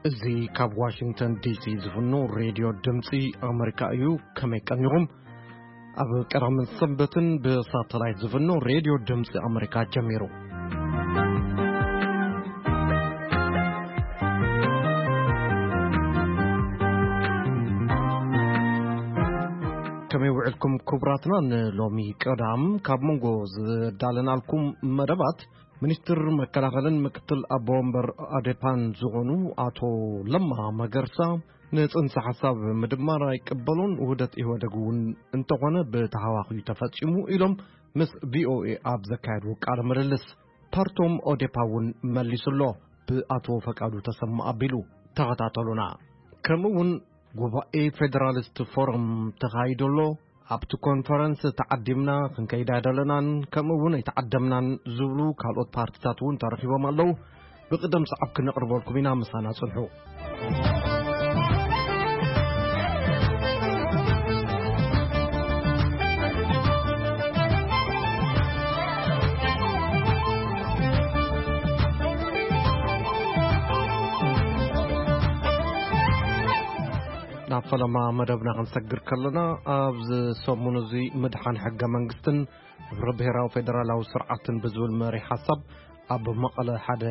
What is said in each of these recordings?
እዚ ካብ ዋሽንግተን ዲሲ ዝፍኖ ሬድዮ ድምፂ ኣመሪካ እዩ። ከመይ ቀኒኹም? ኣብ ቀዳምን ሰንበትን ብሳተላይት ዝፍኖ ሬድዮ ድምፂ ኣመሪካ ጀሚሩ። ከመይ ውዕልኩም ክቡራትና? ንሎሚ ቀዳም ካብ መንጎ ዝዳለናልኩም መደባት፣ ሚኒስትር መከላኸልን ምክትል ኣቦ ወንበር ኣዴፓን ዝኾኑ ኣቶ ለማ መገርሳ፣ ንጽንሰ ሓሳብ ምድማር ኣይቅበሉን፣ ውህደት ኢህወደግ እውን እንተኾነ ብተሃዋኺ ተፈጺሙ ኢሎም ምስ ቪኦኤ ኣብ ዘካየድዎ ቃለ ምልልስ። ፓርቶም ኦዴፓ እውን መሊሱ ኣሎ፣ ብኣቶ ፈቃዱ ተሰማ ኣቢሉ። ተኸታተሉና። ከምኡ እውን ጉባኤ ፌደራሊስት ፎረም ተኻይዱ ኣሎ። ኣብቲ ኮንፈረንስ ተዓዲምና ክንከይድ ኣይደለናን፣ ከምኡ እውን ኣይተዓደምናን ዝብሉ ካልኦት ፓርቲታት እውን ተረኺቦም ኣለዉ። ብቕደም ሰዓብ ክነቕርበልኩም ኢና፣ ምሳና ጽንሑ። ናብ ፈለማ መደብና ክንሰግር ከለና፣ ኣብዚ ሰሙን እዚ ምድሓን ሕገ መንግስትን ህብረ ብሔራዊ ፌደራላዊ ስርዓትን ብዝብል መሪሕ ሓሳብ ኣብ መቐለ ሓደ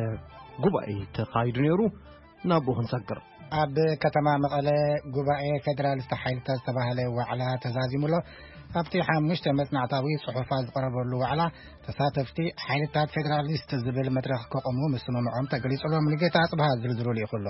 ጉባኤ ተኻይዱ ነይሩ። ናብኡ ክንሰግር። ኣብ ከተማ መቐለ ጉባኤ ፌደራሊስት ሓይልታት ዝተባህለ ዋዕላ ተዛዚሙ ኣሎ። ኣብቲ ሓሙሽተ መጽናዕታዊ ጽሑፋት ዝቐረበሉ ዋዕላ፣ ተሳተፍቲ ሓይልታት ፌደራሊስት ዝብል መድረኽ ከቆሙ ምስምምዖም ተገሊጹ ኣሎ። ሙሉጌታ ኣጽብሃ ዝርዝሩ ልኢኹ ኣሎ።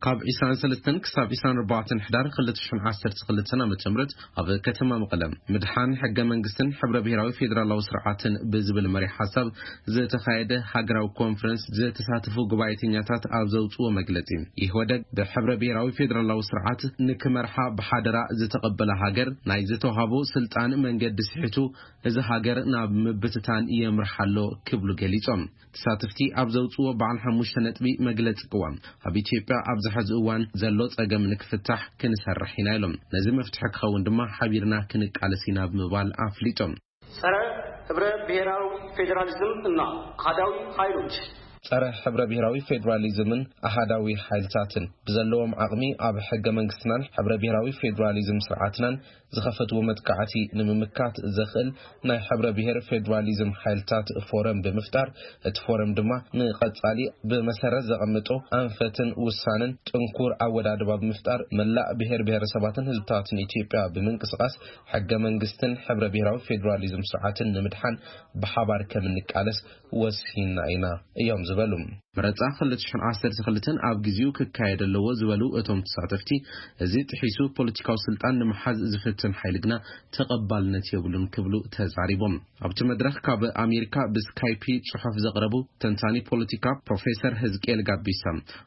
ካብ ዕስራን ሰለስተን ክሳብ ዕስራን ኣርባዕተን ሕዳር ክልተ ሽሕን ዓሰርተ ክልተን ዓመተ ምህረት ኣብ ከተማ መቐለ፣ ምድሓን ሕገ መንግስትን ሕብረ ብሔራዊ ፌደራላዊ ስርዓትን ብዝብል መሪሕ ሓሳብ ዝተኻየደ ሃገራዊ ኮንፈረንስ ዝተሳተፉ ጉባኤተኛታት ኣብ ዘውፅዎ መግለጺ፣ ኢህወደግ ብሕብረ ብሔራዊ ፌደራላዊ ስርዓት ንክመርሓ ብሓደራ ዝተቐበለ ሃገር፣ ናይ ዝተዋሃቦ ስልጣን መንገዲ ስሒቱ፣ እዚ ሃገር ናብ ምብትታን የምርሓ ኣሎ ክብሉ ገሊጾም። ተሳተፍቲ ኣብ ዘውፅዎ በዓል ሓሙሽተ ነጥቢ መግለፂ ቅዋም፣ ኣብ ኢትዮጵያ ኣብዚ ሕዚ እዋን ዘሎ ፀገም ንክፍታሕ ክንሰርሕ ኢና ኢሎም። ነዚ መፍትሒ ክኸውን ድማ ሓቢርና ክንቃለስ ኢና ብምባል ኣፍሊጦም። ጸረ ህብረ ብሔራዊ ፌዴራሊዝም እና አሃዳዊ ኃይሎች። ጸረ ሕብረ ብሔራዊ ፌዴራሊዝምን ኣሃዳዊ ሓይልታትን ብዘለዎም ዓቕሚ ኣብ ሕገ መንግስትናን ሕብረ ብሔራዊ ፌዴራሊዝም ስርዓትናን ዝኸፈትዎ መጥቃዕቲ ንምምካት ዘኽእል ናይ ሕብረ ብሔር ፌዴራሊዝም ሓይልታት ፎረም ብምፍጣር፣ እቲ ፎረም ድማ ንቐጻሊ ብመሰረት ዘቐምጦ ኣንፈትን ውሳንን ጥንኩር ኣወዳድባ ብምፍጣር፣ መላእ ብሔር ብሔረሰባትን ህዝብታትን ኢትዮጵያ ብምንቅስቓስ ሕገ መንግስትን ሕብረ ብሔራዊ ፌዴራሊዝም ስርዓትን ንምድሓን ብሓባር ከም እንቃለስ ወሲና ኢና እዮም ዝበሉ። መረጻ ክልተ ሽሕን ዓሰርተ ክልተን ኣብ ግዜኡ ክካየድ ኣለዎ ዝበሉ እቶም ተሳተፍቲ፣ እዚ ጥሒሱ ፖለቲካዊ ስልጣን ንምሓዝ ዝፍትን ሓይሊ ግና ተቐባልነት የብሉን ክብሉ ተዛሪቦም። ኣብቲ መድረኽ ካብ ኣሜሪካ ብስካይፒ ጽሑፍ ዘቕረቡ ተንታኒ ፖለቲካ ፕሮፌሰር ህዝቅኤል ጋቢሳ፣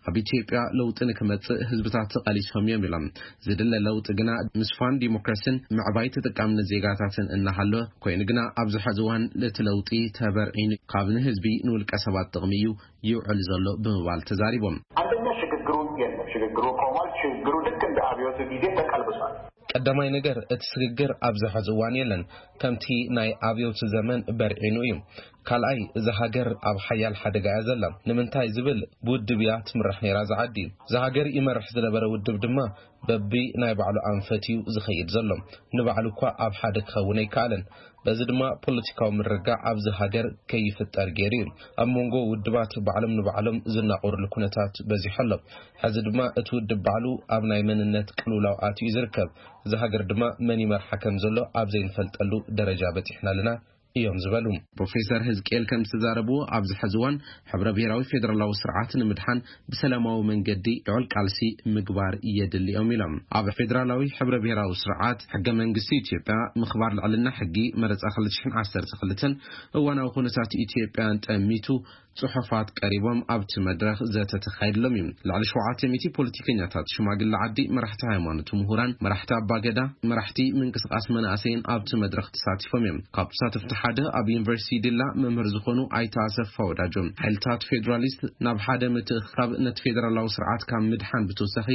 ኣብ ኢትዮጵያ ለውጢ ንክመጽእ ህዝብታት ተቓሊሶም እዮም ኢሎም። ዝድለ ለውጢ ግና ምስፋን ዲሞክራሲን ምዕባይ ተጠቃምነት ዜጋታትን እናሃለወ፣ ኮይኑ ግና ኣብዚ ሕዚ እዋን እቲ ለውጢ ተበርዒኑ ካብ ንህዝቢ ንውልቀ ሰባት ጥቕሚ እዩ ይውዕል ዘሎ ብምባል ተዛሪቦም። አንደኛ ሽግግሩ የለም። ሽግግሩ ቆሟል። ሽግግሩ ልክ እንደ አብዮቱ ጊዜ ተቀልብሷል። ቀዳማይ ነገር፣ እቲ ስግግር ኣብዚ ሕዚ እዋን የለን። ከምቲ ናይ ኣብዮት ዘመን በርዒኑ እዩ። ካልኣይ፣ እዛ ሃገር ኣብ ሓያል ሓደጋ እያ ዘላ። ንምንታይ ዝብል፣ ብውድብ እያ ትምራሕ ነይራ እዛ ዓዲ። እዛ ሃገር ይመርሕ ዝነበረ ውድብ ድማ በቢ ናይ ባዕሉ ኣንፈት እዩ ዝኸይድ ዘሎ። ንባዕሉ እኳ ኣብ ሓደ ክኸውን ኣይከኣለን። በዚ ድማ ፖለቲካዊ ምርግጋዕ ኣብዚ ሃገር ከይፍጠር ገይሩ እዩ። ኣብ መንጎ ውድባት ባዕሎም ንባዕሎም ዝናቆርሉ ኩነታት በዚሑ ኣሎ። ሕዚ ድማ እቲ ውድብ ባዕሉ ኣብ ናይ መንነት ቅልውላው ኣትዩ እዩ ዝርከብ። እዚ ሃገር ድማ መን ይመርሓ ከም ዘሎ ኣብ ዘይንፈልጠሉ ደረጃ በጺሕና ኣለና እዮም ዝበሉ። ፕሮፌሰር ህዝቅኤል ከም ዝተዛረብዎ፣ ኣብዚ ሕዚ እዋን ሕብረ ብሔራዊ ፌደራላዊ ስርዓት ንምድሓን ብሰላማዊ መንገዲ ልዑል ቃልሲ ምግባር የድሊ እዮም ኢሎም። ኣብ ፌደራላዊ ሕብረ ብሔራዊ ስርዓት፣ ሕገ መንግስቲ ኢትዮጵያ፣ ምኽባር ልዕልና ሕጊ፣ መረጻ ክልተ ሽሕን ዓሰርተ ክልተን እዋናዊ ኩነታት ኢትዮጵያን ጠሚቱ ጽሑፋት ቀሪቦም ኣብቲ መድረኽ ዘተ ተኻይድሎም እዩ። ልዕሊ ሸውዓተ ሚእቲ ፖለቲከኛታት፣ ሽማግለ ዓዲ፣ መራሕቲ ሃይማኖት፣ ምሁራን፣ መራሕቲ ኣባገዳ፣ መራሕቲ ምንቅስቃስ መናእሰይን ኣብቲ መድረኽ ተሳቲፎም እዮም። ካብ ተሳተፍቲ ሓደ ኣብ ዩኒቨርሲቲ ዲላ መምህር ዝኾኑ ኣይተ ኣሰፋ ወዳጆ፣ ሓይልታት ፌዴራሊስት ናብ ሓደ ምትእኽኻብ ነቲ ፌዴራላዊ ስርዓት ካብ ምድሓን ብተወሳኺ፣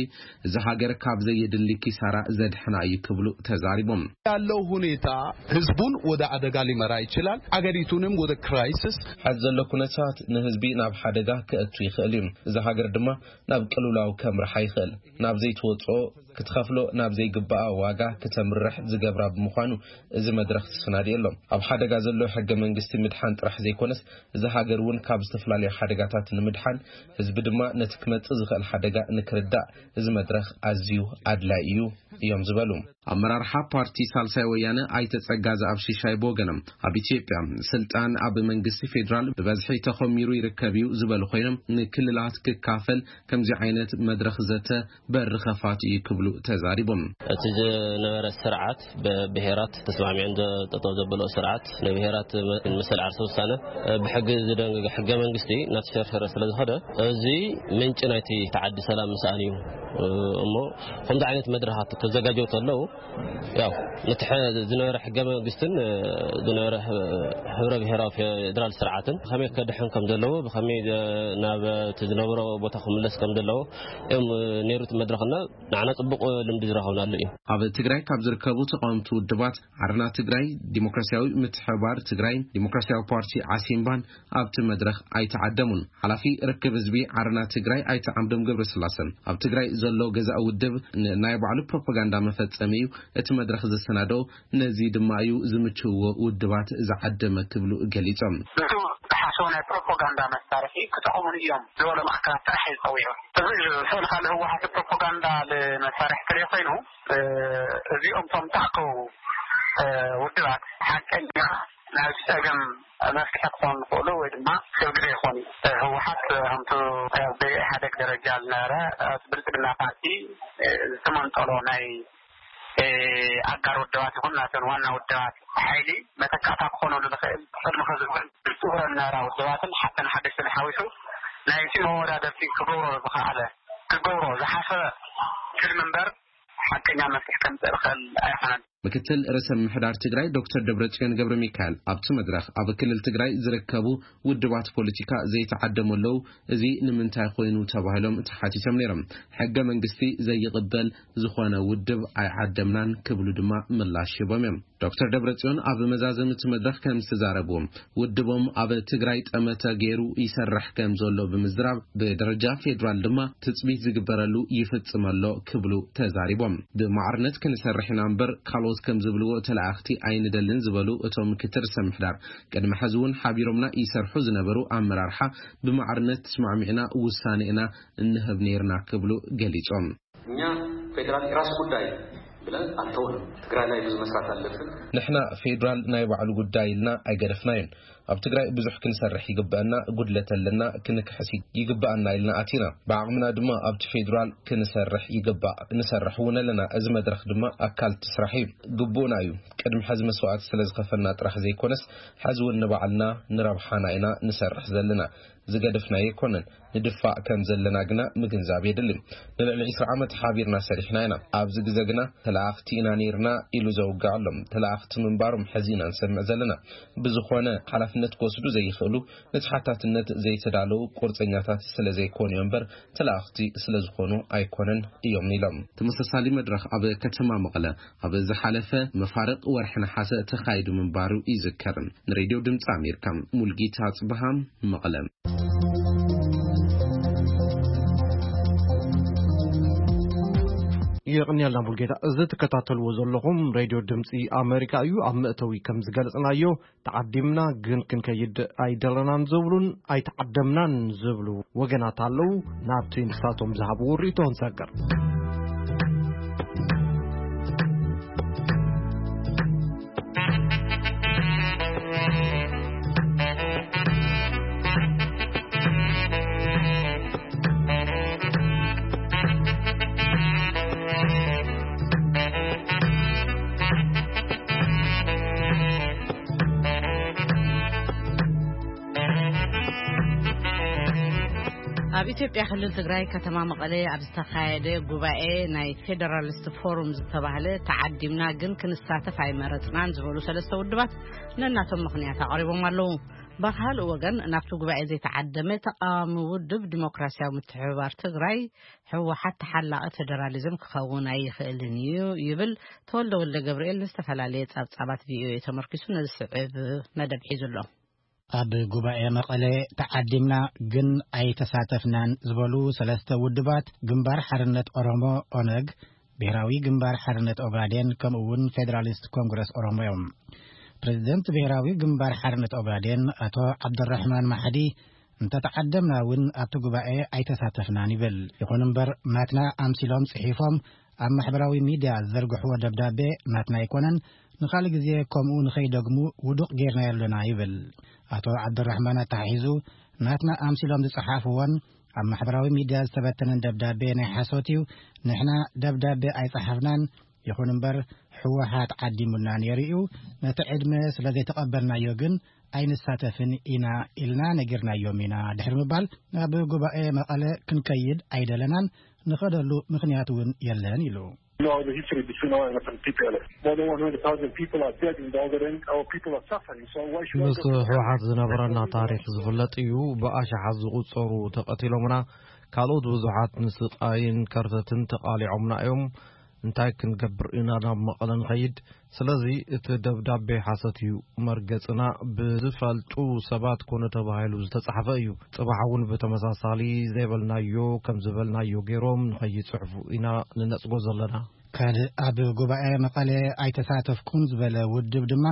እዚ ሃገር ካብ ዘየድሊ ኪሳራ ዘድሕና እዩ ክብሉ ተዛሪቦም። ያለው ሁኔታ ህዝቡን ወደ አደጋ ሊመራ ይችላል፣ አገሪቱንም ወደ ክራይሲስ። ሐዚ ዘሎ ኩነታት ንህዝቢ ናብ ሓደጋ ክእቱ ይኽእል እዩ። እዚ ሃገር ድማ ናብ ቅልውላው ከምርሓ ይኽእል። ናብ ዘይትወፅኦ ክትኸፍሎ ናብ ዘይግባኣ ዋጋ ክተምርሕ ዝገብራ ብምዃኑ፣ እዚ መድረኽ ተሰናዲኡ ኣሎ። ኣብ ሓደጋ ዘሎ ሕገ መንግስቲ ምድሓን ጥራሕ ዘይኮነስ፣ እዚ ሃገር እውን ካብ ዝተፈላለዩ ሓደጋታት ንምድሓን፣ ህዝቢ ድማ ነቲ ክመጽእ ዝኽእል ሓደጋ ንክርዳእ፣ እዚ መድረኽ ኣዝዩ ኣድላይ እዩ እዮም ዝበሉ። ኣመራርሓ ፓርቲ ሳልሳይ ወያነ ኣይተ ጸጋዘኣብ ሽሻይ ብወገኖም፣ ኣብ ኢትዮጵያ ስልጣን ኣብ መንግስቲ ፌዴራል ብበዝሒ ተኾሚሩ ይርከብ እዩ ዝበሉ ኮይኖም፣ ንክልላት ክካፈል ከምዚ ዓይነት መድረኽ ዘተ በር ኸፋት እዩ ክብሉ ተዛሪቦም። እቲ ዝነበረ ስርዓት ብብሄራት ተስማሚዐን ጠጠው ዘበሎ ስርዓት፣ ንብሄራት መሰል ዓርሰ ውሳነ ብሕጊ ዝደንግገ ሕገ መንግስቲ እናተሸርሸረ ስለ ዝኸደ፣ እዚ ምንጪ ናይቲ ተዓዲ ሰላም ምስኣን እዩ። እሞ ከምዚ ዓይነት መድረኻት ክዘጋጀው ተለዉ፣ ያው ነቲ ሕዚ ዝነበረ ሕገ መንግስትን ዝነበረ ህብረ ብሄራዊ ፌዴራል ስርዓትን ብኸመይ ከድሕን ከም ዘለዎ፣ ብኸመይ ናብ እቲ ዝነበሮ ቦታ ክምለስ ከም ዘለዎ እዮም ነይሩ እቲ መድረኽና። ንዓና ጽቡቕ ልምዲ ዝረኸብናሉ እዩ። ኣብ ትግራይ ካብ ዝርከቡ ተቃወምቲ ውድባት ዓረና ትግራይ፣ ዲሞክራሲያዊ ምትሕባር ትግራይ፣ ዲሞክራሲያዊ ፓርቲ ዓሲምባን ኣብቲ መድረኽ ኣይተዓደሙን። ሓላፊ ርክብ ህዝቢ ዓረና ትግራይ ኣይተ ዓምዶም ገብረስላሰን፣ ኣብ ትግራይ ዘሎ ገዛኢ ውድብ ንናይ ባዕሉ ፕሮፓጋንዳ መፈጸሚ እዩ፣ እቲ መድረኽ ዘሰናደኦ ነዚ ድማ እዩ ዝምችውዎ ውድባት ዝዓደመ ክብሉ ገሊጾም። ንሱ ዝሓስቦ ናይ ፕሮፓጋንዳ መሳርሒ ክጠቕሙን እዮም ዝበሎም ኣካላት ጥራሕ እዩ ዝጸዊዑ። እዚ ስእልካ ንህወሓት ፕሮፓጋንዳ መሳርሒ ትርኢ ኮይኑ፣ እዚኦም እቶም ተኣከቡ ውድባት ሓቀኛ ናይ ጸገም መፍትሒ ክኾኑ ዝኽእሉ ወይ ድማ ክብል ግዜ ይኾኑ። ህወሓት ከምቲ ኣብ ኢህኣደግ ደረጃ ዝነበረ ብልጽግና ፓርቲ ዝተመንጠሎ ናይ ኣጋር ውድባት ይኹን ናተን ዋና ውድባት ሓይሊ መተካእታ ክኾነሉ ዝኽእል ቅድሚ ከዝብል ዝፅውረን ዝነበራ ውድባትን ሓተን ሓደሽትን ሓዊሱ ናይቲ መወዳደርቲ ክገብሮ ዝኸኣለ ክገብሮ ዝሓሰበ ትልሚ እምበር ሓቀኛ መፍትሒ ከምፅእ ዝኽእል ኣይኾነን። ምክትል ርእሰ ምምሕዳር ትግራይ ዶክተር ደብረጽዮን ገብረ ሚካኤል ኣብቲ መድረኽ ኣብ ክልል ትግራይ ዝርከቡ ውድባት ፖለቲካ ዘይተዓደሙ ኣለዉ፣ እዚ ንምንታይ ኮይኑ ተባሂሎም ተሓቲቶም ነይሮም። ሕገ መንግስቲ ዘይቕበል ዝኾነ ውድብ ኣይዓደምናን ክብሉ ድማ ምላሽ ሂቦም እዮም። ዶክተር ደብረጽዮን ኣብ መዛዘሚ እቲ መድረኽ ከም ዝተዛረብዎም፣ ውድቦም ኣብ ትግራይ ጠመተ ገይሩ ይሰርሕ ከም ዘሎ ብምዝራብ፣ ብደረጃ ፌዴራል ድማ ትጽቢት ዝግበረሉ ይፍጽም ኣሎ ክብሉ ተዛሪቦም። ብማዕርነት ክንሰርሕ ኢና እምበር ካልኦት ከም ዝብልዎ ተለኣኽቲ ኣይንደልን ዝበሉ እቶም ምክትል ርእሰ ምሕዳር፣ ቅድሚ ሕዚ እውን ሓቢሮምና ይሰርሑ ዝነበሩ ኣመራርሓ ብማዕርነት ተስማዕሚዕና ውሳኔ ኢና እንህብ ነይርና ክብሉ ገሊጾም። እኛ ፌዴራል የራሱ ጉዳይ ብለን ኣልተውንም። ትግራይ ላይ ብዙ መስራት ኣለብን። ንሕና ፌዴራል ናይ ባዕሉ ጉዳይ ኢልና ኣይገደፍናዮን። ኣብ ትግራይ ብዙሕ ክንሰርሕ ይግበአና፣ ጉድለት ኣለና፣ ክንክሕስ ይግበኣና ኢልና ኣቲና። ብዓቕምና ድማ ኣብቲ ፌዴራል ክንሰርሕ ይግባእ፣ ንሰርሕ እውን ኣለና። እዚ መድረኽ ድማ ኣካል እቲ ስራሕ እዩ፣ ግቡእና እዩ። ቅድሚ ሕዚ መስዋእቲ ስለ ዝኸፈልና ጥራሕ ዘይኮነስ፣ ሕዚ እውን ንባዕልና ንረብሓና ኢና ንሰርሕ ዘለና። ዝገደፍናዮ ኣይኮነን። ንድፋእ ከም ዘለና ግና ምግንዛብ የድሊ። ንልዕሊ ዕስራ ዓመት ሓቢርና ሰሪሕና ኢና። ኣብዚ ግዜ ግና ተለኣኽቲ ኢና ነይርና ኢሉ ዘውግዕ ኣሎ። ተለኣኽቲ ምንባሮም ሕዚ ኢና ንሰምዕ ዘለና። ብዝኾነ፣ ሓላፍነት ክወስዱ ዘይኽእሉ፣ ንተሓታትነት ዘይተዳለዉ ቁርፀኛታት ስለ ዘይኮኑ እዮም እምበር፣ ተለኣኽቲ ስለ ዝኾኑ ኣይኮነን እዮም ኢሎም። ተመሳሳሊ መድረኽ ኣብ ከተማ መቐለ ኣብ ዝሓለፈ መፋርቕ ወርሒ ነሓሰ ተኻይዱ ምንባሩ ይዝከር። ንሬድዮ ድምፂ ኣሜሪካ፣ ሙልጌታ ጽብሃም፣ መቐለ። የቕንየልና ሙልጌታ። እዚ ትከታተልዎ ዘለኹም ሬድዮ ድምፂ ኣሜሪካ እዩ። ኣብ መእተዊ ከም ዝገለጽናዮ፣ ተዓዲምና ግን ክንከይድ ኣይደለናን ዝብሉን ኣይተዓደምናን ዝብሉ ወገናት ኣለዉ። ናብቲ ንሳቶም ዝሃብዎ ርእይቶ ንሰግር። ኣብ ኢትዮጵያ ክልል ትግራይ ከተማ መቐለ ኣብ ዝተኻየደ ጉባኤ ናይ ፌደራሊስት ፎሩም ዝተባህለ ተዓዲምና ግን ክንሳተፍ ኣይመረጽናን ዝበሉ ሰለስተ ውድባት ነናቶም ምኽንያት ኣቕሪቦም ኣለዉ። ብኻልእ ወገን ናብቲ ጉባኤ ዘይተዓደመ ተቃዋሚ ውድብ ዲሞክራሲያዊ ምትሕብባር ትግራይ ህወሓት ተሓላቒ ፌደራሊዝም ክኸውን ኣይኽእልን እዩ ይብል። ተወልደ ወልደ ገብርኤል ንዝተፈላለየ ጸብጻባት ቪኦኤ ተመርኪሱ ነዚ ስዕብ መደብ ሒዙ ኣሎ። ኣብ ጉባኤ መቐለ ተዓዲምና ግን ኣይተሳተፍናን ዝበሉ ሰለስተ ውድባት ግንባር ሓርነት ኦሮሞ ኦነግ፣ ብሔራዊ ግንባር ሓርነት ኦጋዴን ከምኡ እውን ፌደራሊስት ኮንግረስ ኦሮሞ እዮም። ፕሬዚደንት ብሔራዊ ግንባር ሓርነት ኦጋዴን ኣቶ ዓብደራሕማን ማሕዲ እንተተዓደምና እውን ኣብቲ ጉባኤ ኣይተሳተፍናን ይብል። ይኹን እምበር ናትና ኣምሲሎም ጽሒፎም ኣብ ማሕበራዊ ሚድያ ዝዘርግሕዎ ደብዳቤ ናትና ኣይኮነን፣ ንኻልእ ግዜ ከምኡ ንኸይደግሙ ውዱቕ ጌርናዮ ኣለና ይብል። ኣቶ ዓብደራሕማን ኣተሓሒዙ ናትና ኣምሲሎም ዝጸሓፍዎን ኣብ ማሕበራዊ ሚድያ ዝተበተነን ደብዳቤ ናይ ሓሶት እዩ። ንሕና ደብዳቤ ኣይጸሓፍናን፣ ይኹን እምበር ህወሓት ዓዲሙና ነይሩ እዩ። ነቲ ዕድመ ስለ ዘይተቐበልናዮ ግን ኣይንሳተፍን ኢና ኢልና ነጊርናዮም ኢና ድሕሪ ምባል ናብ ጉባኤ መቐለ ክንከይድ ኣይደለናን፣ ንኸደሉ ምኽንያት እውን የለን ኢሉ። You know the history between O N L F and T P L F. More than one hundred thousand people are dead in the Ogaden. Our people are suffering. So why should I ምስ go to ህወሓት ዝነበረና ታሪክ ዝፍለጥ እዩ። ብኣሽሓት ዝቑጸሩ ተቐቲሎምና፣ ካልኦት ብዙሓት ንስቓይን ከርተትን ተቓሊዖምና እዮም። እንታይ ክንገብር ኢና ናብ መቐለ ንኸይድ? ስለዚ እቲ ደብዳቤ ሓሰት እዩ። መርገጽና ብዝፈልጡ ሰባት ኮነ ተባሂሉ ዝተጻሕፈ እዩ። ጽባሕ እውን ብተመሳሳሊ ዘይበልናዮ ከም ዝበልናዮ ገይሮም ንኸይጽሕፉ ኢና ንነጽጎ ዘለና። ካልእ ኣብ ጉባኤ መቐለ ኣይተሳተፍኩን ዝበለ ውድብ ድማ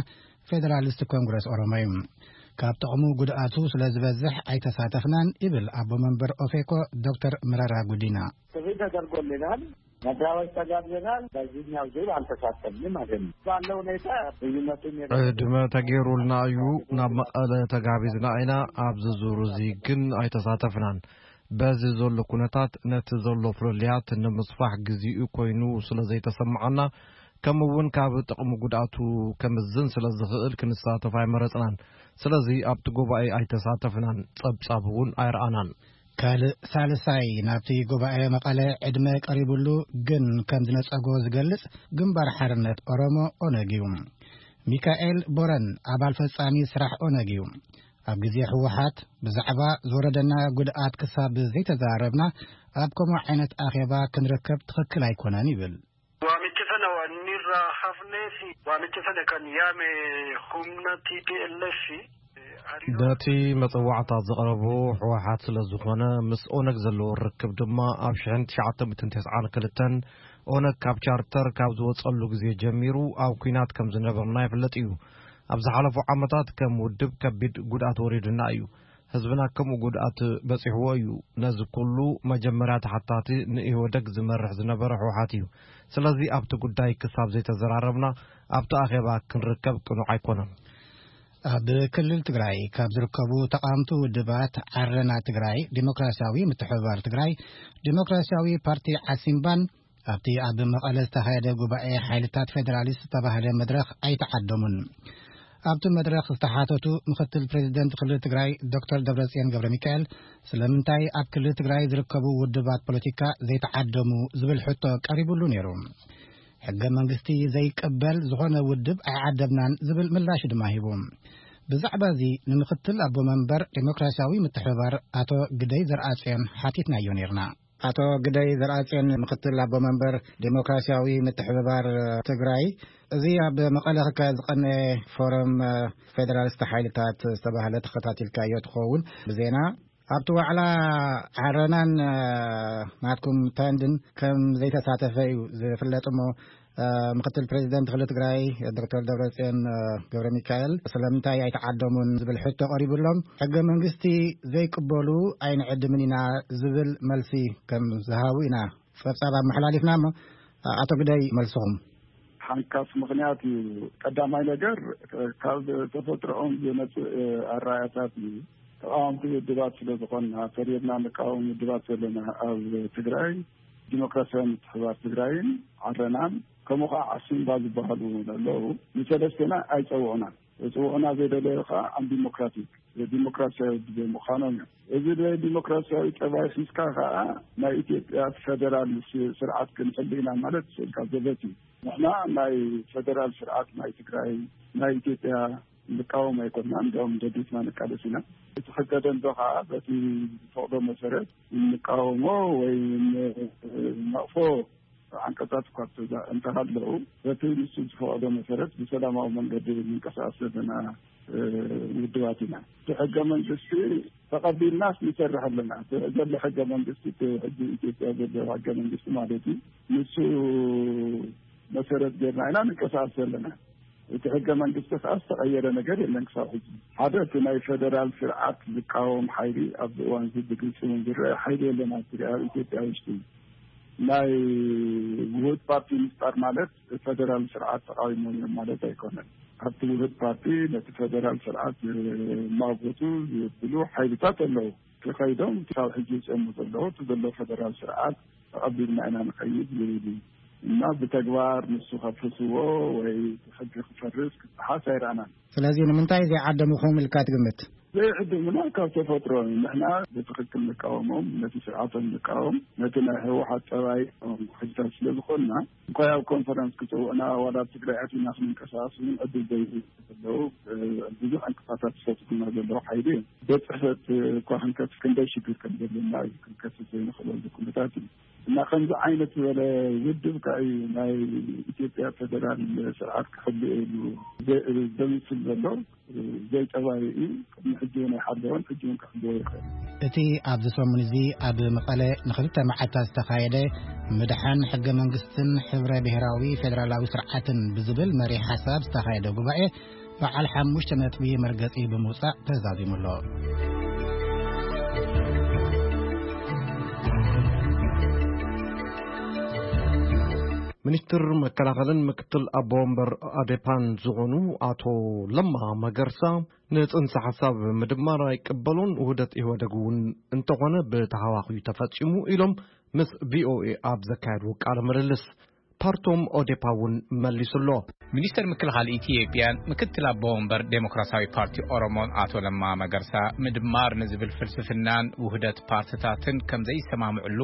ፌደራሊስት ኮንግረስ ኦሮሞ እዩ። ካብ ጥቕሙ ጉድኣቱ ስለ ዝበዝሕ ኣይተሳተፍናን ይብል ኣቦ መንበር ኦፌኮ ዶክተር መረራ ጉዲና። ጥሪ ተደርጎልናል፣ መድረኮች ተጋብዘናል። በዚህኛው ዙር አልተሳተፍንም ማለት ነው። ባለው ሁኔታ ልዩነቱን የበለጠ ዕድመ ተገይሩልና እዩ። ናብ መቐለ ተጋቢዝና ኢና። ኣብዚ ዙር እዚ ግን ኣይተሳተፍናን። በዚ ዘሎ ኩነታት ነቲ ዘሎ ፍልልያት ንምስፋሕ ግዜኡ ኮይኑ ስለ ዘይተሰምዓና፣ ከምኡ እውን ካብ ጥቕሚ ጉድኣቱ ከምዝን ስለ ዝኽእል ክንሳተፍ ኣይመረጽናን። ስለዚ ኣብቲ ጉባኤ ኣይተሳተፍናን፣ ጸብጻብ እውን ኣይረኣናን። ካልእ ሳልሳይ ናብቲ ጉባኤ መቐለ ዕድመ ቀሪቡሉ ግን ከም ዝነጸጎ ዝገልጽ ግንባር ሓርነት ኦሮሞ ኦነግ እዩ። ሚካኤል ቦረን ኣባል ፈጻሚ ስራሕ ኦነግ እዩ። ኣብ ግዜ ህወሓት ብዛዕባ ዝወረደና ጉድኣት ክሳብ ዘይተዛረብና ኣብ ከምኡ ዓይነት ኣኼባ ክንርከብ ትኽክል ኣይኮነን ይብል። Waamichi sana waan inni irraa hafnee fi waamichi sana kan yaame humna T P L F. ነቲ መጸዋዕታ ዘቕረቦ ህወሓት ስለ ዝኾነ፣ ምስ ኦነግ ዘለዎ ርክብ ድማ ኣብ ሽሕን ትሽዓተ ሚእትን ተስዓን ክልተን ኦነግ ካብ ቻርተር ካብ ዝወጸሉ ግዜ ጀሚሩ ኣብ ኲናት ከም ዝነበርና ይፍለጥ እዩ። ኣብ ዝሓለፉ ዓመታት ከም ውድብ ከቢድ ጉድኣት ወሪዱና እዩ። ህዝብና ከምኡ ጉድኣት በጺሕዎ እዩ። ነዚ ኩሉ መጀመርያ ተሓታቲ ንኢህወደግ ዝመርሕ ዝነበረ ህወሓት እዩ። ስለዚ ኣብቲ ጉዳይ ክሳብ ዘይተዘራረብና ኣብቲ ኣኼባ ክንርከብ ቅኑዕ ኣይኮነን። ኣብ ክልል ትግራይ ካብ ዝርከቡ ተቓወምቲ ውድባት ዓረና ትግራይ ዲሞክራሲያዊ ምትሕብባር ትግራይ ዲሞክራሲያዊ ፓርቲ ዓሲምባን ኣብቲ ኣብ መቐለ ዝተኻየደ ጉባኤ ሓይልታት ፌደራሊስት ዝተባህለ መድረኽ ኣይተዓደሙን። ኣብቲ መድረኽ ዝተሓተቱ ምኽትል ፕሬዚደንት ክልል ትግራይ ዶክተር ደብረጽዮን ገብረ ሚካኤል ስለምንታይ ኣብ ክልል ትግራይ ዝርከቡ ውድባት ፖለቲካ ዘይተዓደሙ ዝብል ሕቶ ቀሪቡሉ ነይሩ። ሕገ መንግስቲ ዘይቀበል ዝኾነ ውድብ ኣይዓደምናን ዝብል ምላሽ ድማ ሂቡ። ብዛዕባ እዚ ንምኽትል ኣቦ መንበር ዴሞክራሲያዊ ምትሕብባር ኣቶ ግደይ ዘርኣጽዮን ሓቲትናዮ ነይርና። ኣቶ ግደይ ዘርኣጽዮን ምኽትል ኣቦ መንበር ዴሞክራሲያዊ ምትሕብባር ትግራይ፣ እዚ ኣብ መቐለ ክካየድ ዝቐነየ ፎረም ፌደራሊስት ሓይልታት ዝተባህለ ተኸታቲልካዮ ትኸውን ብዜና። ኣብቲ ዋዕላ ዓረናን ናትኩም ተንድን ከም ዘይተሳተፈ እዩ ዝፍለጥ እሞ፣ ምኽትል ፕሬዚደንት ክልል ትግራይ ዶክተር ደብረጽዮን ገብረ ሚካኤል ስለምንታይ ኣይተዓደሙን ዝብል ሕቶ ቀሪቡሎም፣ ሕገ መንግስቲ ዘይቅበሉ ኣይንዕድምን ኢና ዝብል መልሲ ከም ዝሃቡ ኢና ጸብጻብ ኣመሓላሊፍና እሞ፣ ኣቶ ግደይ መልስኹም። ሓንካስ ምኽንያት እዩ። ቀዳማይ ነገር ካብ ተፈጥሮኦም ዝመጽእ ኣራያታት እዩ። ተቃወምቲ ውድባት ስለ ዝኾንና፣ ፈሪድና ንቃወም ውድባት ዘለና ኣብ ትግራይ ዲሞክራሲያዊ ምትሕብባር ትግራይን ዓረናን፣ ከምኡ ከዓ ዓሲምባ ዝበሃሉ ኣለዉ። ንሰለስቴና ኣይጸውዑናን። ዝጽውዑና ዘይደለዩ ከዓ ኣን ዲሞክራቲክ ዲሞክራሲያዊ ውድብ ምዃኖም እዮም። እዚ ናይ ዲሞክራሲያዊ ጠባይ ሒዝካ ከዓ ናይ ኢትዮጵያ ፌደራል ስ- ስርዓት ክንሕሉ ኢና ማለት ስእልካ ዘበት እዩ። ንሕና ናይ ፌደራል ስርዓት ናይ ትግራይ ናይ ኢትዮጵያ ንቃወም ኣይኮንና፣ እንዲያውም ደዲፍና ንቃለስ ኢና። እቲ ሕገ ደንበ ከዓ በቲ ዝፈቕዶ መሰረት እንቃወሞ ወይ ንነቕፎ ዓንቀጻት እኳ እንተሃለዉ በቲ ንሱ ዝፈቐዶ መሰረት ብሰላማዊ መንገዲ ንንቀሳቀስ ዘለና ውድባት ኢና። እቲ ሕገ መንግስቲ ተቐቢልናስ ንሰርሕ ኣለና። እቲ ዘሎ ሕገ መንግስቲ እቲ ሕጂ ኢትዮጵያ ዘሎ ሕገ መንግስቲ ማለት እዩ። ንሱ መሰረት ጌርና ኢና ንንቀሳቀስ ዘለና። እቲ ሕገ መንግስቲ ከዓ ዝተቐየረ ነገር የለን ክሳብ ሕጂ። ሓደ እቲ ናይ ፌደራል ስርዓት ዝቃወም ሓይሊ ኣብዚ እዋን እዚ ብግልፂ እውን ዝረአ ሓይሊ የለን ኣብ ትግራይ፣ ኣብ ኢትዮጵያ ውሽጢ። ናይ ውህድ ፓርቲ ምፍጣር ማለት ፌደራል ስርዓት ተቃዊሞም እዮም ማለት ኣይኮነን። ኣብቲ ውህድ ፓርቲ ነቲ ፌደራል ስርዓት ዝማጎቱ ዝብሉ ሓይልታት ኣለዉ። ተኸይዶም ክሳብ ሕጂ ዝፀሙ ዘለዉ እቲ ዘሎ ፌደራል ስርዓት ተቐቢልና ኢና ንኸይድ ዝብል እዩ። እና ብተግባር ንሱ ከፍርስዎ ወይ ሕጊ ክፈርስ ክጠሓስ ኣይረኣናን። ስለዚ ንምንታይ ዘይዓደምኹም ኢልካ ትግምት? ዘይዕድምና ካብ ተፈጥሮ እዩ። ንሕና ብትኽክል ንቃወሞም፣ ነቲ ስርዓቶም ንቃወም፣ ነቲ ናይ ህወሓት ጠባይ ሕጅታት ስለ ዝኾንና እንኳ ኣብ ኮንፈረንስ ክፅውዕና ዋላ ኣብ ትግራይ ኣቲና ክንንቀሳቀስ እውን ዕድል ዘይህቡ ዘለዉ ብዙሕ ዕንቅፋታት ዝፈጥሩና ዘለዉ ሓይሊ እዩ። ቤት ፅሕፈት እኳ ክንከፍት ክንደይ ሽግር ከም ዘለና እዩ። ክንከፍት ዘይንኽእለሉ ኩነታት እዩ። እና ከምዚ ዓይነት ዝበለ ውድብ ከዓ እዩ ናይ ኢትዮጵያ ፌደራል ስርዓት ክሕልዮ ኢሉ ዘ- ዘምስል ዘሎ ዘይጠባዩ እዩ። ቅድሚ ሕጂ እውን ኣይሓለወን፣ ሕጂ እውን ክሕልዎ ይኽእል። እቲ ኣብዚ ሰሙን እዚ ኣብ መቐለ ንኽልተ መዓልታት ዝተኻየደ ምድሓን ሕገ መንግስትን ሕብረ ብሔራዊ ፌደራላዊ ስርዓትን ብዝብል መሪሕ ሓሳብ ዝተኻየደ ጉባኤ በዓል ሓሙሽተ ነጥቢ መርገጺ ብምውጻእ ተዛዚሙ ኣሎ። ሚኒስትር መከላኸልን ምክትል ኣቦ ወንበር ኣዴፓን ዝኾኑ ኣቶ ለማ መገርሳ ንጽንሰ ሓሳብ ምድማር ኣይቅበሉን፣ ውህደት ኢህወደግ እውን እንተኾነ ብተሃዋኺ ተፈጺሙ ኢሎም ምስ ቪኦኤ ኣብ ዘካየድዎ ቃለ ምልልስ። ፓርቶም ኦዴፓ እውን መሊሱ ኣሎ። ሚኒስተር ምክልኻል ኢትዮጵያን ምክትል ኣቦ ወንበር ዴሞክራሲያዊ ፓርቲ ኦሮሞን ኣቶ ለማ መገርሳ ምድማር ንዝብል ፍልስፍናን ውህደት ፓርትታትን ከም ዘይሰማምዕሉ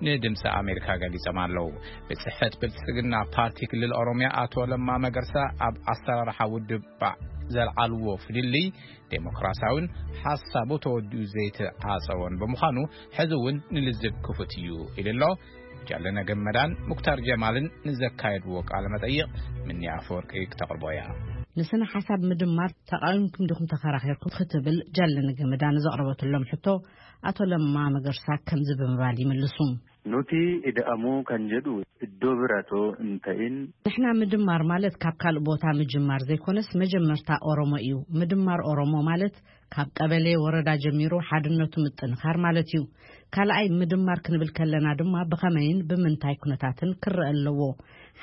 ንድምፂ ኣሜሪካ ገሊጾም ኣለዉ። ቤት ጽሕፈት ብልጽግና ፓርቲ ክልል ኦሮሚያ ኣቶ ለማ መገርሳ ኣብ ኣሰራርሓ ውድብ ባዕ ዘልዓልዎ ፍልልይ ዴሞክራሲያውን ሓሳቡ ተወዲኡ ዘይተዓጸወን ብምዃኑ ሕዚ እውን ንልዝብ ክፉት እዩ ኢሉ ኣሎ። ጃለነ ገመዳን ሙክታር ጀማልን ንዘካየድዎ ቃለ መጠይቕ ምኒ ኣፈወርቂ ክተቕርቦ እያ። ንስነ ሓሳብ ምድማር ተቓዊምኩም ዲኹም ተኸራኺርኩም ክትብል ጃለነ ገመዳ ንዘቕረበትሎም ሕቶ ኣቶ ለማ መገርሳ ከምዚ ብምባል ይምልሱ። Nuti ida'amuu kan jedhu iddoo biratoo hin ta'in. ንሕና ምድማር ማለት ካብ ካልእ ቦታ ምጅማር ዘይኮነስ መጀመርታ ኦሮሞ እዩ። ምድማር ኦሮሞ ማለት ካብ ቀበሌ፣ ወረዳ ጀሚሩ ሓድነቱ ምጥንኻር ማለት እዩ። ካልኣይ ምድማር ክንብል ከለና ድማ ብኸመይን ብምንታይ ኩነታትን ክረአ ኣለዎ።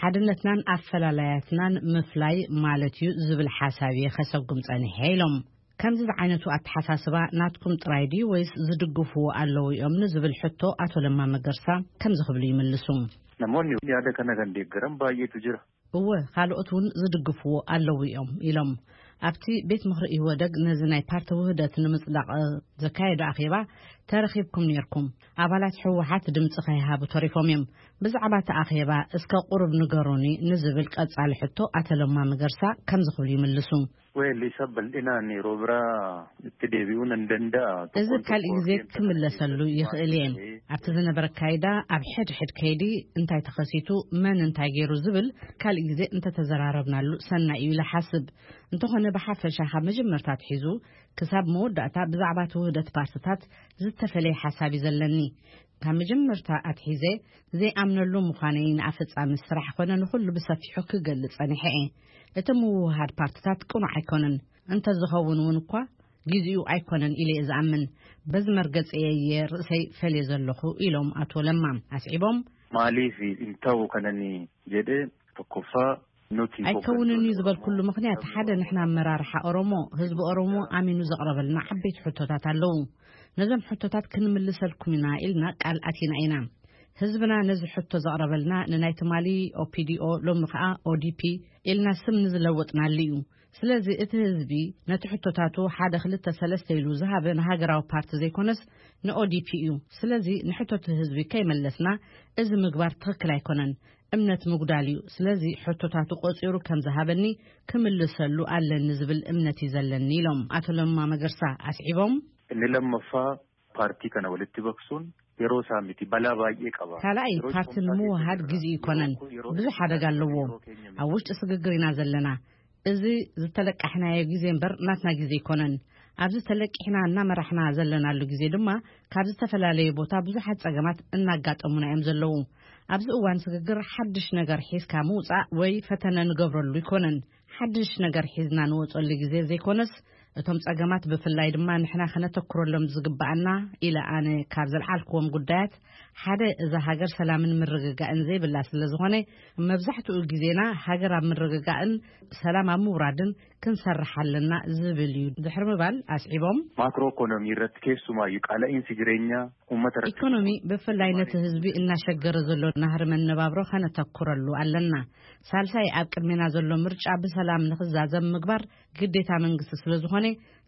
ሓድነትናን ኣፈላላያትናን ምፍላይ ማለት እዩ ዝብል ሓሳብ እየ ከሰጉም ጸኒሐ ኢሎም። ከምዚ ዝዓይነቱ ኣተሓሳስባ ናትኩም ጥራይ ድዩ ወይስ ዝድግፍዎ ኣለዉ እዮም ንዝብል ሕቶ ኣቶ ለማ መገርሳ ከምዚ ክብሉ ይምልሱ። Namoonni yaada kana kan deeggaran baay'eetu jira. እወ፣ ካልኦት እውን ዝድግፍዎ ኣለዉ እዮም ኢሎም። ኣብቲ ቤት ምኽሪ ኢህወደግ ነዚ ናይ ፓርቲ ውህደት ንምጽዳቕ ዘካየዶ ኣኼባ ተረኺብኩም ነይርኩም። ኣባላት ህወሓት ድምፂ ከይሃቡ ተሪፎም እዮም። ብዛዕባ እቲ ኣኼባ እስከ ቁሩብ ንገሩኒ ንዝብል ቀጻሊ ሕቶ ኣቶ ለማ መገርሳ ከምዚ ክብሉ ይምልሱ። Well, isa bal'inaan yeroo biraa itti deebi'uu nan danda'a. እዚ ካልእ ግዜ ክምለሰሉ ይኽእል እየ። ኣብቲ ዝነበረ ኣካይዳ ኣብ ሕድሕድ ከይዲ እንታይ ተኸሲቱ፣ መን እንታይ ገይሩ ዝብል ካልእ ግዜ እንተተዘራረብናሉ ሰናይ እዩ ኢለ ሓስብ። እንተኾነ ብሓፈሻ ካብ መጀመርታ ኣትሒዙ ክሳብ መወዳእታ ብዛዕባ እቲ ውህደት ፓርትታት ዝተፈለየ ሓሳብ እዩ ዘለኒ። ካብ መጀመርታ ኣትሒዘ ዘይኣምነሉ ምዃነይ ንኣፈጻሚ ስራሕ ኮነ ንኹሉ ብሰፊሑ ክገልጽ ጸኒሐ እየ። እቲ ምውህሃድ ፓርትታት ቅኑዕ ኣይኮነን። እንተዝኸውን እውን እኳ ጊዜኡ ኣይኮነን ኢለ እየ ዝኣምን። በዚ መርገጺ እየ ርእሰይ ፈልየ ዘለኹ ኢሎም ኣቶ ለማ ኣስዒቦም። Maaliif hin ta'u kanan jedhe tokkoffaa nuti ኣይከውንን እዩ ዝበልኩሉ ምኽንያት ሓደ ንሕና ኣመራርሓ ኦሮሞ ህዝቢ ኦሮሞ ኣሚኑ ዘቕረበልና ዓበይቲ ሕቶታት ኣለዉ። ነዞም ሕቶታት ክንምልሰልኩም ኢና ኢልና ቃል ኣቲና ኢና። ህዝብና ነዚ ሕቶ ዘቕረበልና ንናይ ትማሊ ኦፒዲኦ ሎሚ ከኣ ኦዲፒ ኢልና ስም ንዝለወጥናሉ እዩ። ስለዚ እቲ ህዝቢ ነቲ ሕቶታቱ ሓደ ክልተ ሰለስተ ኢሉ ዝሃበ ንሃገራዊ ፓርቲ ዘይኮነስ ንኦዲፒ እዩ። ስለዚ ንሕቶቲ ህዝቢ ከይመለስና እዚ ምግባር ትኽክል ኣይኮነን፣ እምነት ምጉዳል እዩ። ስለዚ ሕቶታቱ ቆጺሩ ከም ዝሃበኒ ክምልሰሉ ኣለኒ ዝብል እምነት እዩ ዘለኒ ኢሎም ኣቶ ለማ መገርሳ ኣስዒቦም። Inni lammaffaa paartii kana walitti baqsuun yeroo isaa miti, balaa baay'ee qaba. ካልኣይ ፓርቲ ንምውሃድ ግዜ ይኮነን፣ ብዙሕ ሓደጋ ኣለዎ። ኣብ ውሽጢ ስግግር ኢና ዘለና። እዚ ዝተለቃሕናዮ ግዜ እምበር ናትና ግዜ ይኮነን። ኣብዚ ተለቂሕና እናመራሕና ዘለናሉ ግዜ ድማ ካብ ዝተፈላለየ ቦታ ብዙሓት ጸገማት እናጋጠሙና እዮም ዘለዉ። ኣብዚ እዋን ስግግር ሓድሽ ነገር ሒዝካ ምውጻእ ወይ ፈተነ ንገብረሉ ይኮነን። ሓድሽ ነገር ሒዝና ንወጸሉ ግዜ ዘይኮነስ እቶም ጸገማት ብፍላይ ድማ ንሕና ከነተኩረሎም ዝግባኣና ኢለ ኣነ ካብ ዘልዓልክዎም ጉዳያት ሓደ እዛ ሃገር ሰላምን ምርግጋእን ዘይብላ ስለ ዝኾነ መብዛሕትኡ ግዜና ሃገር ኣብ ምርግጋእን ሰላም ኣብ ምውራድን ክንሰርሕ ኣለና ዝብል እዩ ድሕሪ ምባል ኣስዒቦም። Maakiroo ekonomii irratti keessumaayyuu qaala'insi jireenyaa uummata irratti ኢኮኖሚ ብፍላይ ነቲ ህዝቢ እናሸገረ ዘሎ ናህሪ መነባብሮ ከነተኩረሉ ኣለና። ሳልሳይ ኣብ ቅድሜና ዘሎ ምርጫ ብሰላም ንኽዛዘም ምግባር ግዴታ መንግስቲ ስለ ዝኾነ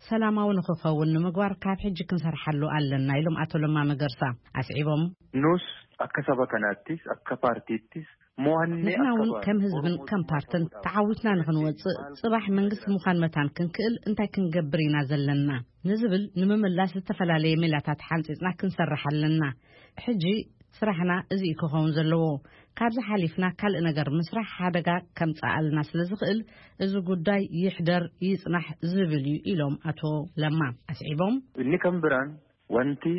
ሰላማዊ ንኽኸውን ንምግባር ካብ ሕጂ ክንሰርሓሉ ኣለና ኢሎም ኣቶ ለማ መገርሳ ኣስዒቦም። Nus akka saba kanaattis akka paartiittis mo'annee ንሕና እውን ከም ህዝብን ከም ፓርትን ተዓዊትና ንኽንወፅእ ፅባሕ መንግስቲ ምዃን መታን ክንክእል እንታይ ክንገብር ኢና ዘለና ንዝብል ንምምላስ ዝተፈላለየ ሜላታት ሓንፂፅና ክንሰርሕ ኣለና። ሕጂ ስራሕና እዚ እዩ ክኸውን ዘለዎ። ካብዚ ሓሊፍና ካልእ ነገር ምስራሕ ሓደጋ ከምፅኣልና ስለ ዝኽእል እዚ ጉዳይ ይሕደር ይፅናሕ ዝብል እዩ ኢሎም ኣቶ ለማ ኣስዒቦም። Inni kan biraan wanti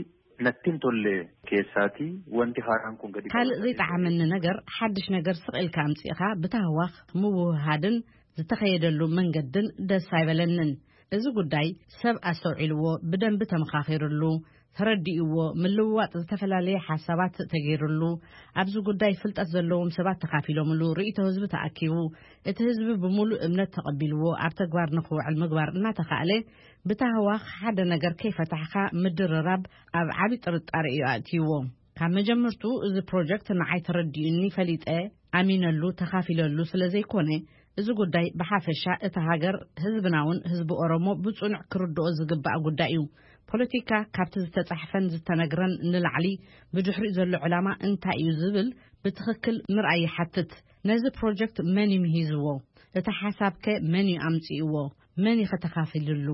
natti hin tolle keessaatii wanti haaraan kun gadi ካልእ ዘይጠዓመኒ ነገር ሓድሽ ነገር ስቕ ኢልካ ኣምፂእኻ ብታህዋኽ ምውህሃድን ዝተኸየደሉ መንገድን ደስ ኣይበለንን። እዚ ጉዳይ ሰብ ኣስተውዒልዎ ብደንቢ ተመኻኺርሉ ተረዲእዎ ምልውዋጥ ዝተፈላለየ ሓሳባት ተገይርሉ ኣብዚ ጉዳይ ፍልጠት ዘለዎም ሰባት ተኻፊሎምሉ ርእይቶ ህዝቢ ተኣኪቡ እቲ ህዝቢ ብምሉእ እምነት ተቐቢልዎ ኣብ ተግባር ንኽውዕል ምግባር እናተኻእለ ብታህዋኽ ሓደ ነገር ከይፈታሕካ ምድርራብ ኣብ ዓቢ ጥርጣረ እዩ ኣእትይዎ። ካብ መጀመርቱ እዚ ፕሮጀክት ንዓይ ተረዲኡኒ ፈሊጠ ኣሚነሉ ተኻፊለሉ ስለ ዘይኮነ እዚ ጉዳይ ብሓፈሻ እታ ሃገር ህዝብናውን ህዝቢ ኦሮሞ ብጽኑዕ ክርድኦ ዝግባእ ጉዳይ እዩ። ፖለቲካ ካብቲ ዝተጻሕፈን ዝተነግረን ንላዕሊ ብድሕሪኡ ዘሎ ዕላማ እንታይ እዩ ዝብል ብትኽክል ምርኣይ ይሓትት። ነዚ ፕሮጀክት መን እዩ ምሂዝዎ? እቲ ሓሳብከ መን እዩ ኣምጺእዎ? መን እዩ ከተኻፊልሉ?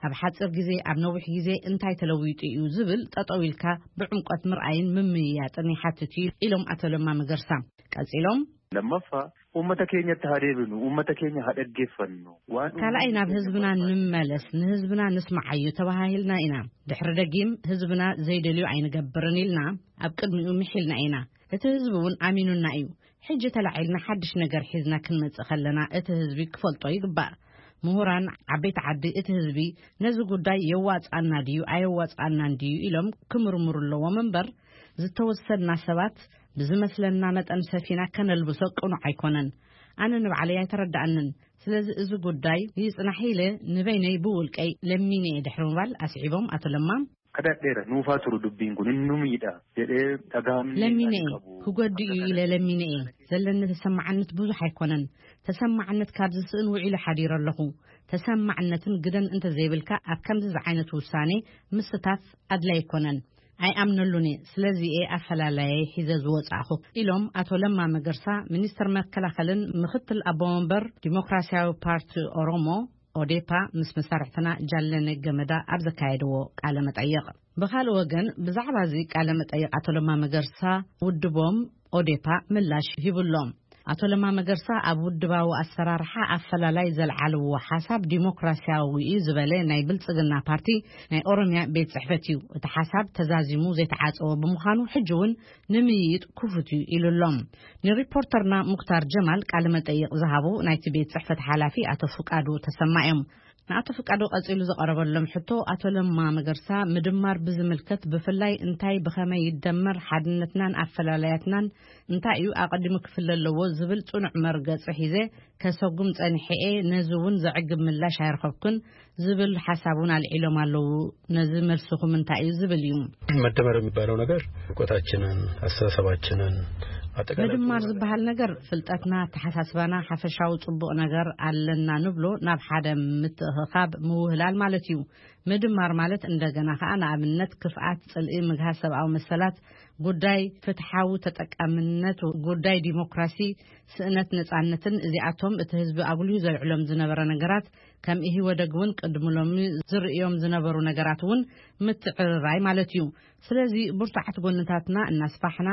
ኣብ ሓጺር ግዜ ኣብ ነዊሕ ግዜ እንታይ ተለዊጡ እዩ ዝብል ጠጠው ኢልካ ብዕምቆት ምርኣይን ምምይያጥን ይሓትት እዩ ኢሎም ኣቶ ለማ መገርሳ። ቀጺሎም Lammaffaa uummata keenyatti haa deebinu, uummata keenya haa dhaggeeffannu. Waan ካልኣይ ናብ ህዝብና ንምመለስ ንህዝብና ንስምዓዩ ተባሃሂልና ኢና። ድሕሪ ደጊም ህዝብና ዘይደልዩ ኣይንገብርን ኢልና ኣብ ቅድሚኡ ምሒልና ኢና። እቲ ህዝቢ እውን ኣሚኑና እዩ። ሕጂ ተላዒልና ሓድሽ ነገር ሒዝና ክንመጽእ ከለና እቲ ህዝቢ ክፈልጦ ይግባእ። ምሁራን ዓበይቲ ዓዲ እቲ ህዝቢ ነዚ ጉዳይ የዋጽኣና ድዩ ኣየዋጽኣናን ድዩ ኢሎም ክምርምሩ ኣለዎም እምበር ዝተወሰና ሰባት ብዝመስለና መጠን ሰፊና ከነልብሶ ቅኑዕ ኣይኮነን። ኣነ ንባዕለይ ኣይተረዳኣንን። ስለዚ እዚ ጉዳይ ይጽናሕ ኢለ ንበይነይ ብውልቀይ ለሚነ እየ ድሕሪ ምባል ኣስዒቦም ኣቶ ለማ Kadhadheera nuufaa turu dubbiin kun innu miidha jedhee dhagahamni ለሚነ እየ ክጎድእ እዩ ኢለ ለሚነ እየ። ዘለኒ ተሰማዓነት ብዙሕ ኣይኮነን። ተሰማዕነት ካብ ዝስእን ውዒሉ ሓዲሩ ኣለኹ። ተሰማዕነትን ግደን እንተዘይብልካ ኣብ ከምዚ ዝዓይነቱ ውሳኔ ምስታፍ ኣድላይ ኣይኮነን። ኣይኣምነሉን እየ። ስለዚ እየ ኣፈላላየይ ሒዘ ዝወጻእኹ ኢሎም ኣቶ ለማ መገርሳ ሚኒስትር መከላኸልን ምክትል ኣቦ ወንበር ዲሞክራሲያዊ ፓርቲ ኦሮሞ ኦዴፓ ምስ መሳርሕትና ጃለነ ገመዳ ኣብ ዘካየድዎ ቃለ መጠይቕ። ብኻልእ ወገን ብዛዕባ እዚ ቃለ መጠይቕ ኣቶ ለማ መገርሳ ውድቦም ኦዴፓ ምላሽ ሂቡሎም። ኣቶ ለማ መገርሳ ኣብ ውድባዊ ኣሰራርሓ ኣፈላላይ ዘልዓልዎ ሓሳብ ዲሞክራሲያዊ እዩ ዝበለ ናይ ብልጽግና ፓርቲ ናይ ኦሮሚያ ቤት ጽሕፈት እዩ። እቲ ሓሳብ ተዛዚሙ ዘይተዓጸወ ብምዃኑ ሕጂ እውን ንምይይጥ ክፉት እዩ ኢሉሎም። ንሪፖርተርና ሙክታር ጀማል ቃለ መጠይቕ ዝሃቡ ናይቲ ቤት ጽሕፈት ሓላፊ ኣቶ ፍቃዱ ተሰማ እዮም። ንኣቶ ፍቃዱ ቀጺሉ ዝቐረበሎም ሕቶ ኣቶ ለማ መገርሳ ምድማር ብዝምልከት ብፍላይ እንታይ ብኸመይ ይደመር ሓድነትናን ኣፈላላያትናን እንታይ እዩ ኣቐዲሙ ክፍለ ኣለዎ ዝብል ጽኑዕ መርገጺ ሒዘ ከሰጉም ጸኒሐ እየ። ነዚ እውን ዘዕግብ ምላሽ ኣይረኸብኩን ዝብል ሓሳብ እውን ኣልዒሎም ኣለዉ። ነዚ መልስኹም እንታይ እዩ ዝብል እዩ። መደመር የሚባለው ነገር እውቀታችንን አስተሳሰባችንን ኣጠቃላይ ምድማር ዝበሃል ነገር ፍልጠትና፣ ኣተሓሳስባና፣ ሓፈሻዊ ጽቡቕ ነገር ኣለና ንብሎ ናብ ሓደ ምትእኽኻብ ምውህላል ማለት እዩ። ምድማር ማለት እንደገና ከኣ ንኣብነት ክፍኣት፣ ጽልኢ፣ ምግሃስ ሰብኣዊ መሰላት፣ ጉዳይ ፍትሓዊ ተጠቃምነት፣ ጉዳይ ዲሞክራሲ፣ ስእነት ነጻነትን እዚኣቶም እቲ ህዝቢ ኣጉልዩ ዘልዕሎም ዝነበረ ነገራት ከም ኢህወደግ እውን ቅድሚ ሎሚ ዝርእዮም ዝነበሩ ነገራት እውን ምትዕርራይ ማለት እዩ። ስለዚ ብርቱዓት ጎንታትና እናስፋሕና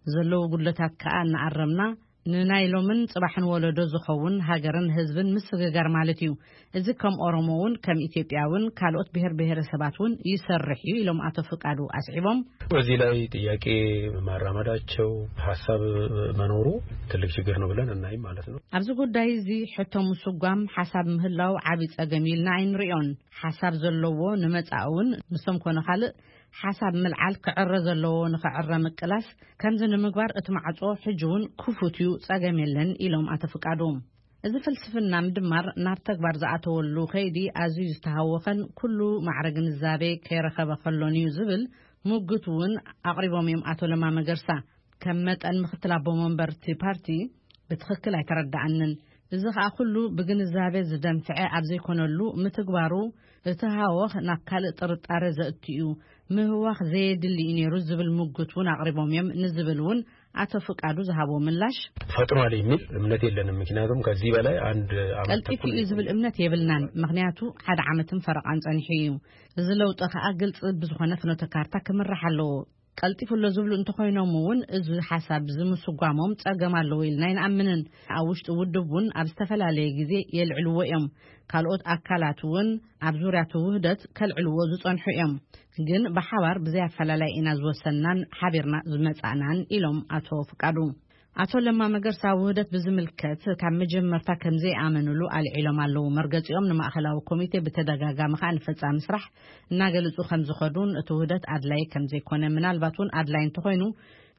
ዘለዉ ጉድለታት ከኣ እናኣረምና ንናይ ሎምን ጽባሕን ወለዶ ዝኸውን ሃገርን ህዝብን ምስግጋር ማለት እዩ። እዚ ከም ኦሮሞ እውን ከም ኢትዮጵያ እውን ካልኦት ብሔር ብሔረሰባት እውን ይሰርሕ እዩ ኢሎም ኣቶ ፍቃዱ ኣስዒቦም። በዚህ ላይ ጥያቄ ማራመዳቸው ሀሳብ መኖሩ ትልቅ ችግር ነው ብለን እናይም ማለት ነው። ኣብዚ ጉዳይ እዚ ሕቶ ምስጓም ሓሳብ ምህላው ዓቢ ጸገም ኢልና ኣይንሪኦን። ሓሳብ ዘለዎ ንመጻኢ እውን ንሶም ኮነ ካልእ ሓሳብ ምልዓል ክዕረ ዘለዎ ንኽዕረ ምቅላስ ከምዚ ንምግባር እቲ ማዕጾ ሕጂ እውን ክፉት እዩ፣ ጸገም የለን ኢሎም ኣቶ ፍቃዱ። እዚ ፍልስፍና ምድማር ናብ ተግባር ዝኣተወሉ ከይዲ ኣዝዩ ዝተሃወኸን ኩሉ ማዕረ ግንዛቤ ከይረኸበ ከሎን እዩ ዝብል ሙግት እውን ኣቕሪቦም እዮም ኣቶ ለማ መገርሳ። ከም መጠን ምክትል ኣቦ መንበር እቲ ፓርቲ ብትኽክል ኣይተረዳኣንን። እዚ ኸኣ ኩሉ ብግንዛቤ ዝደንፍዐ ኣብ ዘይኮነሉ ምትግባሩ እቲ ሃወኽ ናብ ካልእ ጥርጣረ ዘእቱ እዩ። ምህዋኽ ዘየድሊ እዩ ነይሩ ዝብል ሙግት እውን ኣቕሪቦም እዮም ንዝብል እውን ኣቶ ፍቃዱ ዝሃቦ ምላሽ ፈጥሯል የሚል እምነት የለንም። ምክንያቱም ከዚህ በላይ አንድ ዓመት ቀልጢፉ ተኩል እዩ ዝብል እምነት የብልናን። ምክንያቱ ሓደ ዓመትን ፈረቓን ጸኒሑ እዩ። እዚ ለውጢ ከኣ ግልጺ ብዝኾነ ፍኖተ ካርታ ክምራሕ ኣለዎ። ቀልጢፉ ኣሎ ዝብሉ እንተኾይኖም እውን እዚ ሓሳብ እዚ ምስጓሞም ጸገም ኣለዎ ኢልና ኣይንኣምንን። ኣብ ውሽጢ ውድብ እውን ኣብ ዝተፈላለየ ግዜ የልዕልዎ እዮም። ካልኦት ኣካላት እውን ኣብ ዙርያ እቲ ውህደት ከልዕልዎ ዝጸንሑ እዮም። ግን ብሓባር ብዘይ ኣፈላላይ ኢና ዝወሰንናን ሓቢርና ዝመጻእናን ኢሎም ኣቶ ፍቃዱ። ኣቶ ለማ መገርሳ ውህደት ብዝምልከት ካብ መጀመርታ ከም ዘይኣመንሉ ኣልዒሎም ኣለዉ። መርገጺኦም ንማእኸላዊ ኮሚቴ ብተደጋጋሚ ከኣ ንፈጻሚ ስራሕ እናገለጹ ከም ዝኸዱን እቲ ውህደት ኣድላይ ከም ዘይኮነ፣ ምናልባት እውን ኣድላይ እንተኾይኑ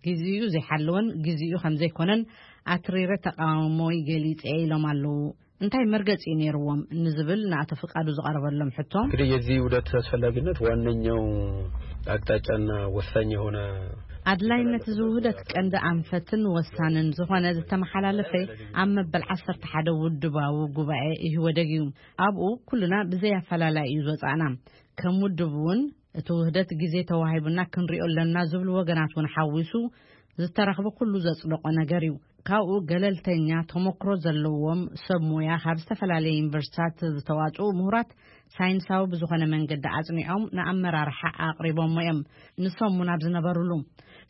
ግዜኡ ዘይሓለወን ግዜኡ ከም ዘይኮነን ኣትሪረ ተቃውሞይ ገሊጸ ኢሎም ኣለዉ። እንታይ መርገጺ ነይርዎም ንዝብል ንኣቶ ፍቃዱ ዝቐረበሎም ሕቶ እንግዲህ የዚህ ውህደት አስፈላጊነት ዋነኛው አቅጣጫና ወሳኝ የሆነ ኣድላይነት እዚ ውህደት ቀንዲ ኣንፈትን ወሳንን ዝኾነ ዝተመሓላለፈ ኣብ መበል ዓሰርተ ሓደ ውድባዊ ጉባኤ ኢህወደግ እዩ። ኣብኡ ኩልና ብዘይ ኣፈላላይ እዩ ዝወጻእና። ከም ውድብ እውን እቲ ውህደት ግዜ ተዋሂቡና ክንሪኦ ኣለና ዝብሉ ወገናት እውን ሓዊሱ ዝተረኽበ ኩሉ ዘጽደቆ ነገር እዩ። ካብኡ ገለልተኛ ተሞክሮ ዘለዎም ሰብ ሞያ ካብ ዝተፈላለየ ዩኒቨርሲታት ዝተዋጽኡ ምሁራት ሳይንሳዊ ብዝኾነ መንገዲ ኣጽኒዖም ንኣመራርሓ ኣቕሪቦሞ እዮም። ንሶም እውን ኣብ ዝነበሩሉ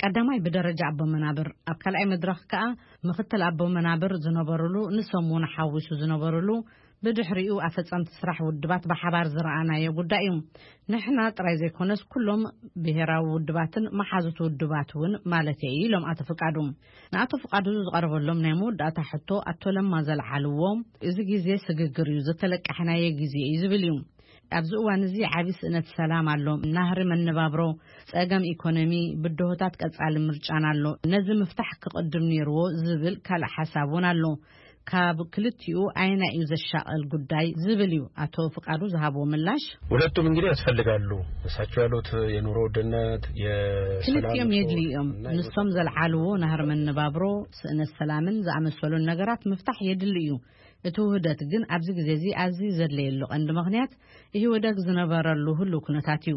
ቀዳማይ ብደረጃ ኣቦ መናብር፣ ኣብ ካልኣይ መድረኽ ከኣ ምኽትል ኣቦ መናብር ዝነበሩሉ፣ ንሶም እውን ሓዊሱ ዝነበሩሉ፣ ብድሕሪኡ ኣፈጸምቲ ስራሕ ውድባት ብሓባር ዝረኣናዮ ጉዳይ እዩ። ንሕና ጥራይ ዘይኮነስ ኩሎም ብሄራዊ ውድባትን መሓዙት ውድባት እውን ማለት እዩ ኢሎም ኣቶ ፍቃዱ። ንኣቶ ፍቃዱ ዝቐረበሎም ናይ መወዳእታ ሕቶ ኣቶ ለማ ዘልዓልዎ እዚ ግዜ ስግግር እዩ፣ ዝተለቃሕናዮ ግዜ እዩ ዝብል እዩ። ኣብዚ እዋን እዚ ዓቢ ስእነት ሰላም ኣሎ፣ ናህሪ መነባብሮ፣ ጸገም ኢኮኖሚ፣ ብድሆታት ቀጻሊ ምርጫን ኣሎ። ነዚ ምፍታሕ ክቕድም ነይርዎ ዝብል ካልእ ሓሳብ እውን ኣሎ። ካብ ክልቲኡ ኣየናይ እዩ ዘሻቐል ጉዳይ ዝብል እዩ ኣቶ ፍቃዱ ዝሃብዎ ምላሽ። ሁለቱም እንግዲህ ያስፈልጋሉ። እሳቸው ያሉት የኑሮ ውድነት፣ የሰላም ክልቲኦም እጦት የድልዩ እዮም። እና ንሶም የመሳሰሉ ዘልዓልዎ ናህሪ መነባብሮ፣ ስእነት ሰላምን ዝኣመሰሉን ነገራት ምፍታሕ የድሊ እዩ። እቲ ውህደት ግን ኣብዚ ግዜ እዚ ኣዝዩ ዘድለየሉ ቀንዲ ምኽንያት ኢህወደግ ዝነበረሉ ህሉው ኩነታት እዩ።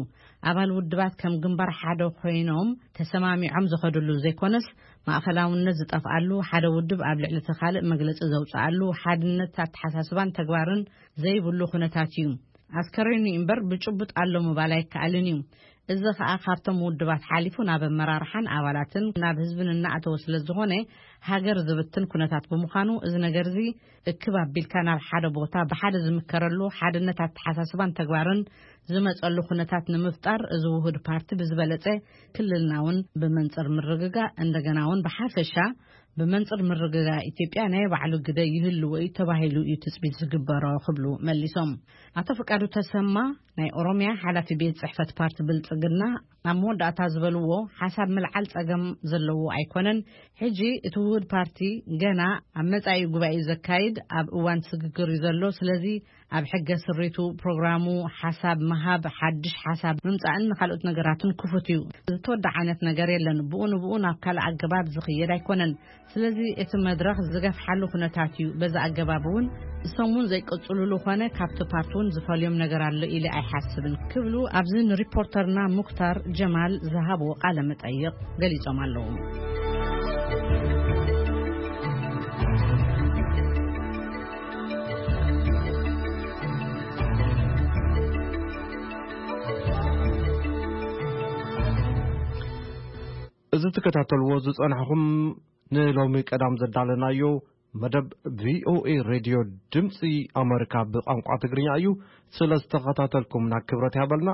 ኣባል ውድባት ከም ግንባር ሓደ ኮይኖም ተሰማሚዖም ዝኸድሉ ዘይኮነስ ማእኸላውነት ዝጠፍኣሉ፣ ሓደ ውድብ ኣብ ልዕሊ እቲ ካልእ መግለጺ ዘውፅኣሉ፣ ሓድነት ኣተሓሳስባን ተግባርን ዘይብሉ ኩነታት እዩ። ኣስከሬኑ እምበር ብጭቡጥ ኣሎ ምባል ኣይከኣልን እዩ። እዚ ኸኣ ካብቶም ውድባት ሓሊፉ ናብ ኣመራርሓን ኣባላትን ናብ ህዝብን እናኣተወ ስለ ዝኾነ ሃገር ዝብትን ኩነታት ብምዃኑ እዚ ነገር እዚ እክብ ኣቢልካ ናብ ሓደ ቦታ ብሓደ ዝምከረሉ ሓድነት ኣተሓሳስባን ተግባርን ዝመጸሉ ኩነታት ንምፍጣር እዚ ውሁድ ፓርቲ ብዝበለጸ ክልልና እውን ብመንጽር ምርግጋእ እንደገና እውን ብሓፈሻ ብመንጽር ምርግጋእ ኢትዮጵያ ናይ ባዕሉ ግደ ይህልዎ እዩ ተባሂሉ እዩ ትጽቢት ዝግበሮ ክብሉ መሊሶም። ኣቶ ፍቃዱ ተሰማ ናይ ኦሮሚያ ሓላፊ ቤት ጽሕፈት ፓርቲ ብልጽግና ኣብ መወዳእታ ዝበልዎ ሓሳብ ምልዓል ጸገም ዘለዎ ኣይኮነን። ሕጂ እቲ ውሁድ ፓርቲ ገና ኣብ መጻኢ ጉባኤ ዘካይድ ኣብ እዋን ስግግር እዩ ዘሎ። ስለዚ ኣብ ሕገ ስሪቱ፣ ፕሮግራሙ፣ ሓሳብ ምሃብ፣ ሓድሽ ሓሳብ ምምጻእን ንኻልኦት ነገራትን ክፉት እዩ። ዝተወድዓ ዓይነት ነገር የለን። ብኡ ንብኡ ናብ ካልእ ኣገባብ ዝኽየድ ኣይኮነን። ስለዚ እቲ መድረኽ ዝገፍሓሉ ኩነታት እዩ። በዚ ኣገባብ እውን እሶም እውን ዘይቅጽሉሉ ኾነ ካብቲ ፓርቲ እውን ዝፈልዮም ነገር ኣሎ ኢለ ኣይሓስብን ክብሉ ኣብዚ ንሪፖርተርና ሙክታር ጀማል ዝሃብዎ ቃለ መጠይቕ ገሊጾም ኣለዉ። እዚ ትከታተልዎ ዝጸናሕኹም ንሎሚ ቀዳም ዘዳለናዮ መደብ ቪኦኤ ሬድዮ ድምፂ ኣመሪካ ብቋንቋ ትግርኛ እዩ። ስለ ዝተኸታተልኩም ናብ ክብረት ያበልና።